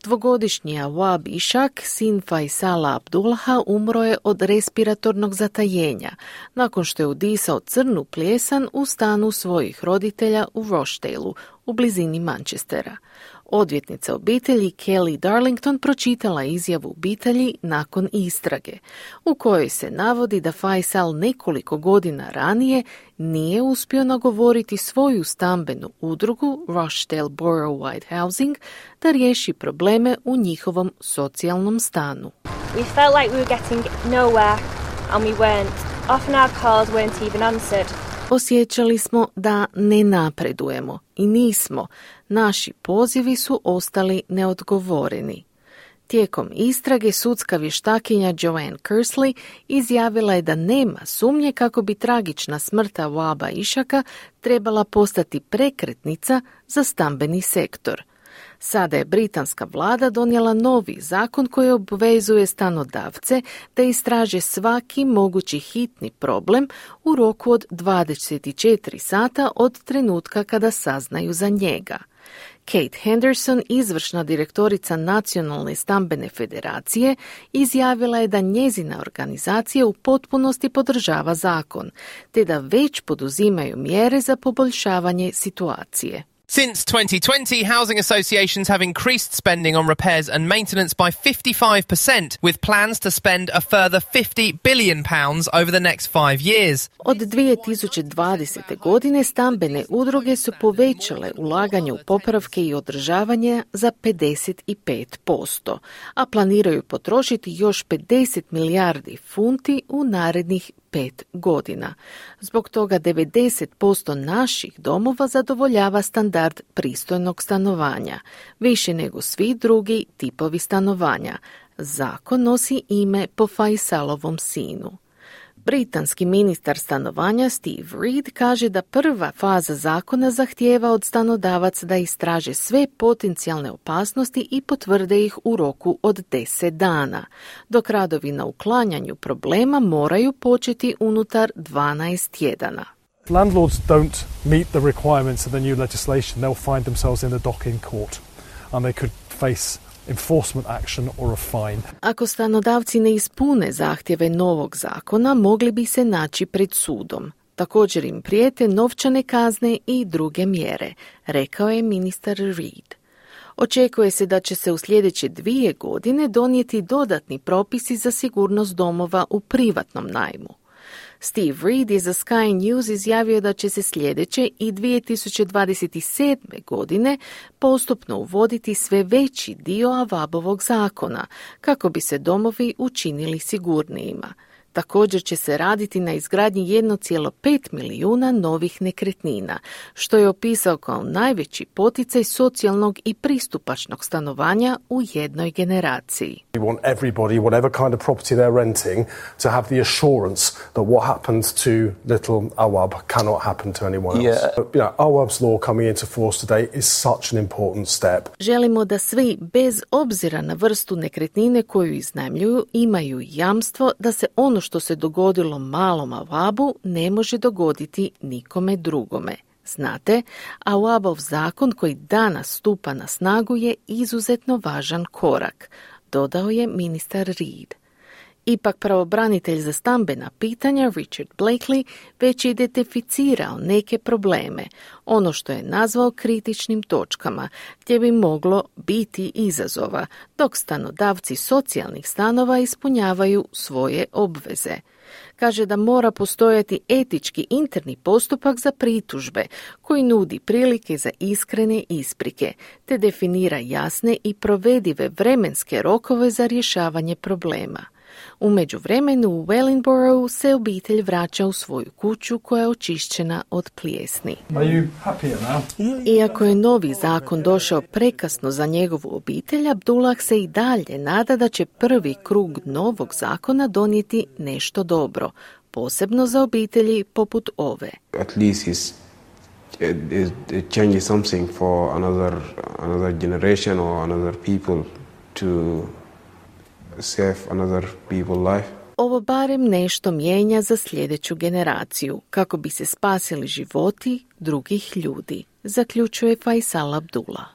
Dvogodišnji Awab Ishak, sin Faisala Abdullaha, umro je od respiratornog zatajenja nakon što je udisao crnu plijesan u stanu svojih roditelja u Rochdaleu, u blizini Manchestera. Odvjetnica obitelji Kelly Darlington pročitala izjavu obitelji nakon istrage, u kojoj se navodi da Faisal nekoliko godina ranije nije uspio nagovoriti svoju stambenu udrugu Rochdale Borough White Housing da riješi probleme u njihovom socijalnom stanu.
We felt like we were getting nowhere and we weren't. Often our calls weren't even answered.
Osjećali smo da ne napredujemo i nismo. Naši pozivi su ostali neodgovoreni. Tijekom istrage sudska vještakinja Joanne Kersley izjavila je da nema sumnje kako bi tragična smrt Awaba Ishaka trebala postati prekretnica za stambeni sektor. Sada je britanska vlada donijela novi zakon koji obvezuje stanodavce da istraže svaki mogući hitni problem u roku od 24 sata od trenutka kada saznaju za njega. Kate Henderson, izvršna direktorica Nacionalne stambene federacije, izjavila je da njezina organizacija u potpunosti podržava zakon, te da već poduzimaju mjere za poboljšavanje situacije.
Since 2020, housing associations have increased spending on repairs and maintenance by 55%, with plans to spend a further £50 billion over the next 5 years.
Od 2020. godine stambene udruge su povećale ulaganje u popravke i održavanje za 55%, a planiraju potrošiti još 50 milijardi funti u narednih 5 godina. Zbog toga 90% naših domova zadovoljava standard pristojnog stanovanja, više nego svi drugi tipovi stanovanja. Zakon nosi ime po Faisalovom sinu. Britanski ministar stanovanja Steve Reed kaže da prva faza zakona zahtijeva od stanodavaca da istraže sve potencijalne opasnosti i potvrde ih u roku od 10 dana, dok radovi na uklanjanju problema moraju početi unutar 12 tjedana.
Landlords don't meet the requirements of the new legislation, they'll find themselves in the dock in court and they could face enforcement action or a fine.
Ako stanodavci ne ispune zahtjeve novog zakona, mogli bi se naći pred sudom. Također im prijete novčane kazne i druge mjere, rekao je ministar Reed. Očekuje se da će se u sljedeće 2 godine donijeti dodatni propisi za sigurnost domova u privatnom najmu. Steve Reed je za Sky News izjavio da će se sljedeće i 2027. godine postupno uvoditi sve veći dio Awabovog zakona kako bi se domovi učinili sigurnijima. Također će se raditi na izgradnji 1,5 milijuna novih nekretnina, što je opisao kao najveći poticaj socijalnog i pristupačnog stanovanja u jednoj generaciji.
We want everybody, whatever kind of property they're renting, to have the assurance that what happened to little Awab cannot happen to anyone else. Awab's law coming into force today is such an important step.
Želimo da svi, bez obzira na vrstu nekretnine koju iznajmljuju, imaju jamstvo da se ono što se dogodilo malom Awabu ne može dogoditi nikome drugome. Znate, Awabov zakon koji danas stupa na snagu je izuzetno važan korak, dodao je ministar Reed. Ipak pravobranitelj za stambena pitanja Richard Blakely već je identificirao neke probleme, ono što je nazvao kritičnim točkama, gdje bi moglo biti izazova, dok stanodavci socijalnih stanova ispunjavaju svoje obveze. Kaže da mora postojati etički interni postupak za pritužbe koji nudi prilike za iskrene isprike, te definira jasne i provedive vremenske rokove za rješavanje problema. U međuvremenu u Wellingboroughu se obitelj vraća u svoju kuću koja je očišćena od plijesni. Iako je novi zakon došao prekasno za njegovu obitelj, Abdullah se i dalje nada da će prvi krug novog zakona donijeti nešto dobro, posebno za obitelji poput ove.
At least it changes something for another generation or another people to save another people's life.
Ovo barem nešto mijenja za sljedeću generaciju, kako bi se spasili životi drugih ljudi, zaključuje Faisal Abdullah.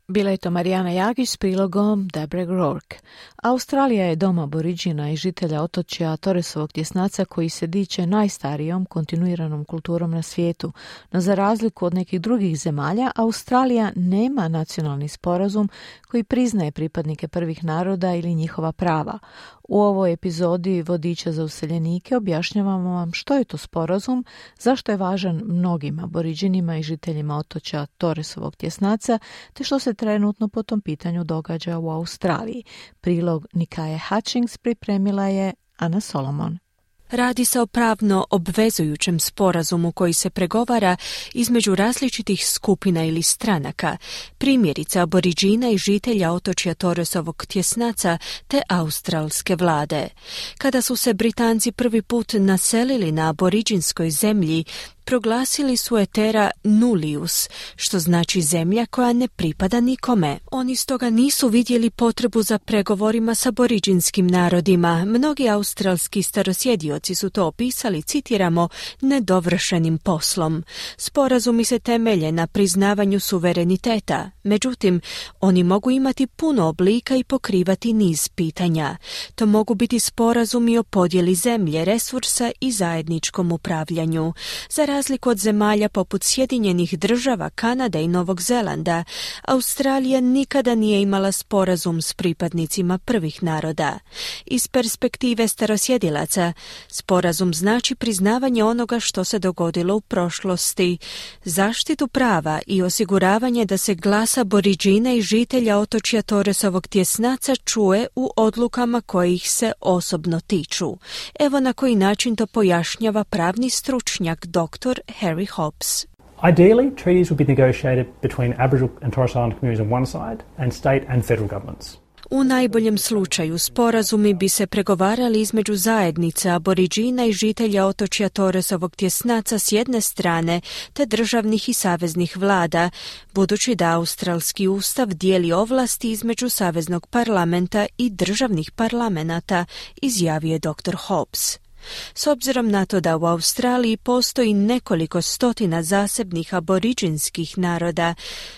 Bila je to Marijana Jagić s prilogom Deborah Rourke. Australija je dom aboriđina i žitelja otočja Torresovog tjesnaca koji se diče najstarijom kontinuiranom kulturom na svijetu, no za razliku od nekih drugih zemalja, Australija nema nacionalni sporazum koji priznaje pripadnike prvih naroda ili njihova prava. U ovoj epizodi Vodiča za useljenike objašnjavamo vam što je to sporazum, zašto je važan mnogim aboriđinima i žiteljima otočja Torresovog tjesnaca, te što se trenutno po tom pitanju događa u Australiji. Prilog Nikaje Hutchings pripremila je Ana Solomon.
Radi se o pravno obvezujućem sporazumu koji se pregovara između različitih skupina ili stranaka, primjerice aboriđina i žitelja otočja Torresovog tjesnaca te australske vlade. Kada su se Britanci prvi put naselili na aboriđinskoj zemlji, proglasili su je terra nullius, što znači zemlja koja ne pripada nikome. Oni stoga nisu vidjeli potrebu za pregovorima s aboriđinskim narodima. Mnogi australski starosjedioci su to opisali, citiramo, nedovršenim poslom. Sporazumi se temelje na priznavanju suvereniteta, međutim, oni mogu imati puno oblika i pokrivati niz pitanja. To mogu biti sporazumi o podjeli zemlje, resursa i zajedničkom upravljanju. Za razliku od zemalja poput Sjedinjenih država, Kanade i Novog Zelanda, Australija nikada nije imala sporazum s pripadnicima prvih naroda. Iz perspektive starosjedilaca, sporazum znači priznavanje onoga što se dogodilo u prošlosti, zaštitu prava i osiguravanje da se glas aboriđina i žitelja otočja Torresovog tjesnaca čuje u odlukama koje ih se osobno tiču. Evo na koji način to pojašnjava pravni stručnjak dr. Harry Hobbs.
Ideally, treaties would be negotiated between Aboriginal and Torres Island communities on one side and state and federal governments.
U najboljem slučaju sporazumi bi se pregovarali između zajednica aboriđina i žitelja otočja Torresovog tjesnaca s jedne strane te državnih i saveznih vlada, budući da australski ustav dijeli ovlasti između saveznog parlamenta i državnih parlamenata, izjavio je dr. Hobbs. S obzirom na to da u Australiji postoji nekoliko stotina zasebnih aboriđinskih naroda,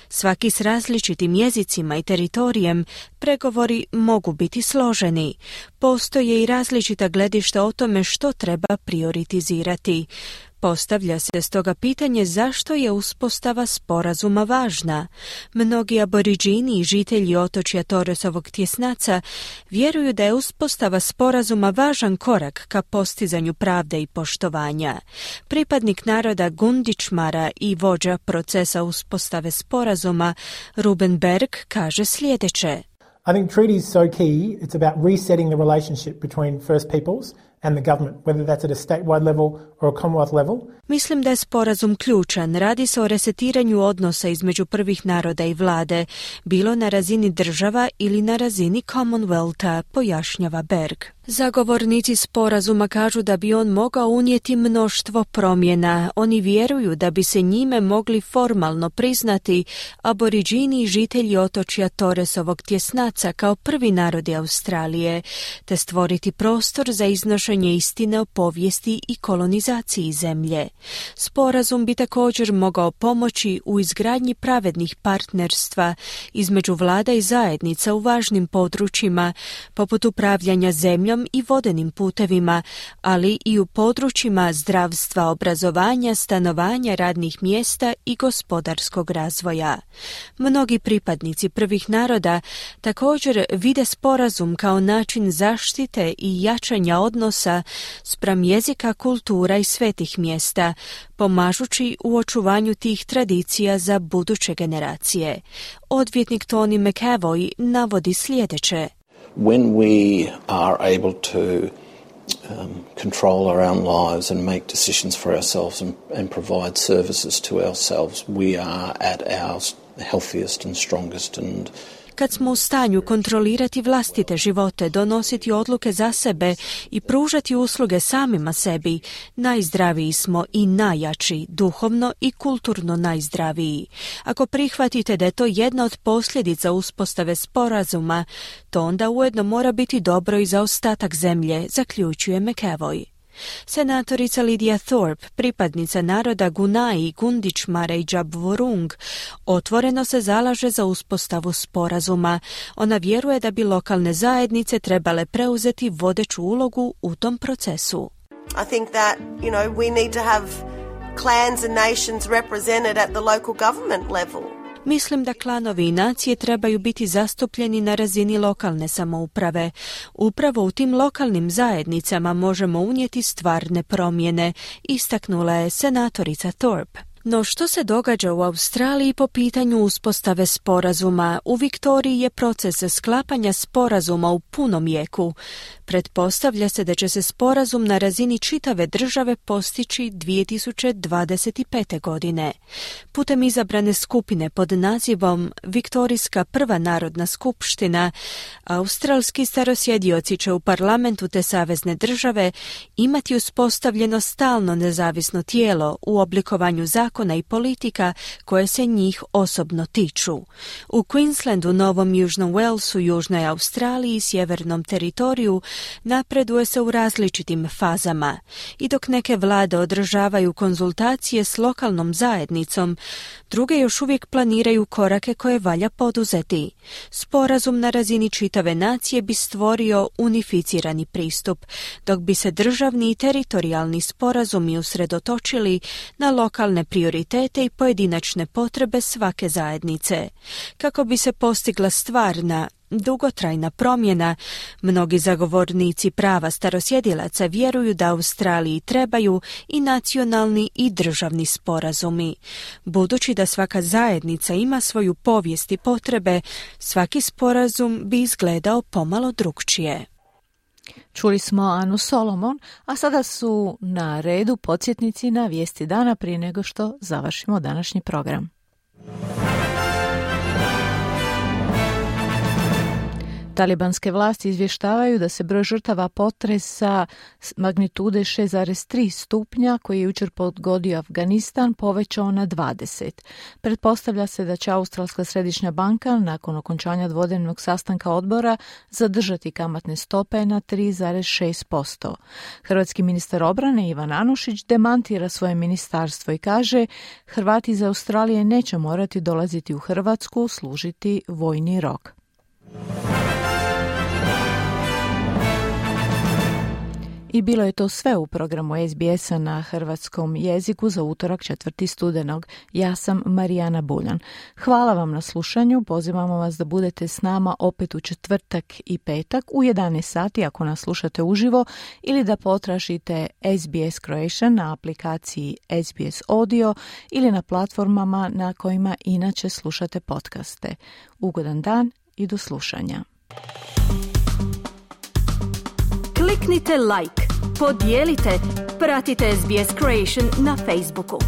svaki s različitim jezicima i teritorijem, pregovori mogu biti složeni. Postoje i različita gledišta o tome što treba prioritizirati. Postavlja se stoga pitanje zašto je uspostava sporazuma važna. Mnogi aboriđini i žitelji otočja Torresovog tjesnaca vjeruju da je uspostava sporazuma važan korak ka postizanju pravde i poštovanja. Pripadnik naroda Gundičmara i vođa procesa uspostave sporazuma Ruben Berg kaže sljedeće.
I think treaty is so key. It's about resetting the relationship between First Peoples and the government, whether that's at a statewide level or a Commonwealth level.
Mislim da je sporazum ključan. Radi se o resetiranju odnosa između prvih naroda i vlade, bilo na razini država ili na razini Commonwealtha, pojašnjava Berg. Zagovornici sporazuma kažu da bi on mogao unijeti mnoštvo promjena. Oni vjeruju da bi se njime mogli formalno priznati aboriđini i žitelji otočja Torresovog tjesnaca kao prvi narodi Australije, te stvoriti prostor za iznošenje istine o povijesti i kolonizaciji zemlje. Sporazum bi također mogao pomoći u izgradnji pravednih partnerstva između vlada i zajednica u važnim područjima, poput upravljanja zemljom i vodenim putevima, ali i u područjima zdravstva, obrazovanja, stanovanja, radnih mjesta i gospodarskog razvoja. Mnogi pripadnici prvih naroda također vide sporazum kao način zaštite i jačanja odnosa spram jezika, kultura i svetih mjesta, pomažući u očuvanju tih tradicija za buduće generacije. Odvjetnik Tony McAvoy navodi sljedeće.
when we are able to control our own lives and make decisions for ourselves and provide services to ourselves, we are at our healthiest and strongest. And
kad smo u stanju kontrolirati vlastite živote, donositi odluke za sebe i pružati usluge samima sebi, najzdraviji smo i najjači, duhovno i kulturno najzdraviji. Ako prihvatite da je to jedna od posljedica uspostave sporazuma, to onda ujedno mora biti dobro i za ostatak zemlje, zaključuje McEvoy. Senatorica Lydia Thorpe, pripadnica naroda Gunai, Gundičmara i Džabvorung, otvoreno se zalaže za uspostavu sporazuma. Ona vjeruje da bi lokalne zajednice trebale preuzeti vodeću ulogu u tom procesu.
I think that, we need to have clans and nations represented at the local government level.
Mislim da klanovi i nacije trebaju biti zastupljeni na razini lokalne samouprave. Upravo u tim lokalnim zajednicama možemo unijeti stvarne promjene, istaknula je senatorica Thorpe. No što se događa u Australiji po pitanju uspostave sporazuma? U Viktoriji je proces sklapanja sporazuma u punom jeku. Pretpostavlja se da će se sporazum na razini čitave države postići 2025. godine. Putem izabrane skupine pod nazivom Viktorijska prva narodna skupština, australski starosjedioci će u parlamentu te savezne države imati uspostavljeno stalno nezavisno tijelo u oblikovanju zakona i politika koje se njih osobno tiču. U Queenslandu, Novom Južnom Walesu, Južnoj Australiji i Sjevernom teritoriju napreduje se u različitim fazama i dok neke vlade održavaju konzultacije s lokalnom zajednicom, druge još uvijek planiraju korake koje valja poduzeti. Sporazum na razini čitave nacije bi stvorio unificirani pristup, dok bi se državni i teritorijalni sporazumi usredotočili na lokalne prioritete i pojedinačne potrebe svake zajednice. Kako bi se postigla stvarna, dugotrajna promjena, mnogi zagovornici prava starosjedilaca vjeruju da Australiji trebaju i nacionalni i državni sporazumi. Budući da svaka zajednica ima svoju povijest i potrebe, svaki sporazum bi izgledao pomalo drukčije.
Čuli smo Anu Solomon, a sada su na redu podsjetnici na vijesti dana prije nego što završimo današnji program. Talibanske vlasti izvještavaju da se broj žrtava potresa magnitude 6,3 stupnja koji je jučer pogodio Afganistan povećao na 20. Pretpostavlja se da će Australska središnja banka nakon okončanja dvodnevnog sastanka odbora zadržati kamatne stope na 3,6%. Hrvatski ministar obrane Ivan Anušić demantira svoje ministarstvo i kaže Hrvati iz Australije neće morati dolaziti u Hrvatsku služiti vojni rok. I bilo je to sve u programu SBS-a na hrvatskom jeziku za utorak 4. studenog. Ja sam Marijana Buljan. Hvala vam na slušanju. Pozivamo vas da budete s nama opet u četvrtak i petak u 11 sati ako nas slušate uživo ili da potražite SBS Croatian na aplikaciji SBS Audio ili na platformama na kojima inače slušate podcaste. Ugodan dan i do slušanja.
Kliknite like, podijelite, pratite SBS Croatian na Facebooku.